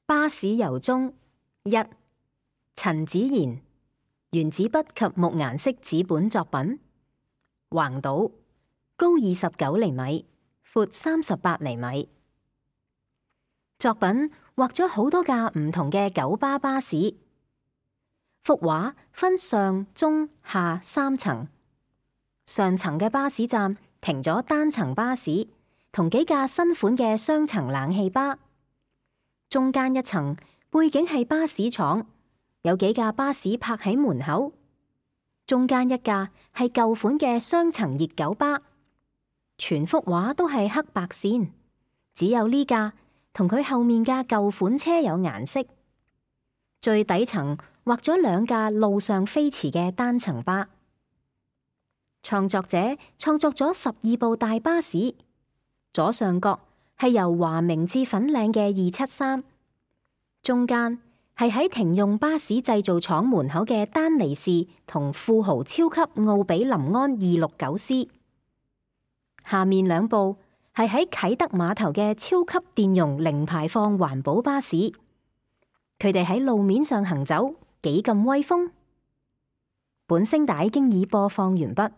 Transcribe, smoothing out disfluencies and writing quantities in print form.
巴士由衷一，陳子賢，原子筆及木顏色紙本作品，橫島，高29厘米，闊38厘米。作品畫咗好多架唔同嘅九巴巴士。幅畫分上、中、下3層。上層嘅巴士站停咗單層巴士同幾架新款嘅雙層冷氣巴。中間一層背景係巴士廠，有幾架巴士泊喺門口。中間一架係舊款嘅雙層熱狗巴。全幅畫都係黑白線，只有呢架同佢後面架舊款車有顏色。最底層畫咗2架路上飛馳嘅單層巴。創作者創作咗12部大巴士，左上角係由華明至粉嶺嘅273，中間係喺停用巴士製造廠門口嘅丹尼士同富豪超級奧比林安 269C， 下面2部係喺啟德碼頭嘅超級電容零排放環保巴士，佢哋喺路面上行走，幾咁威風。本聲帶經已播放完畢。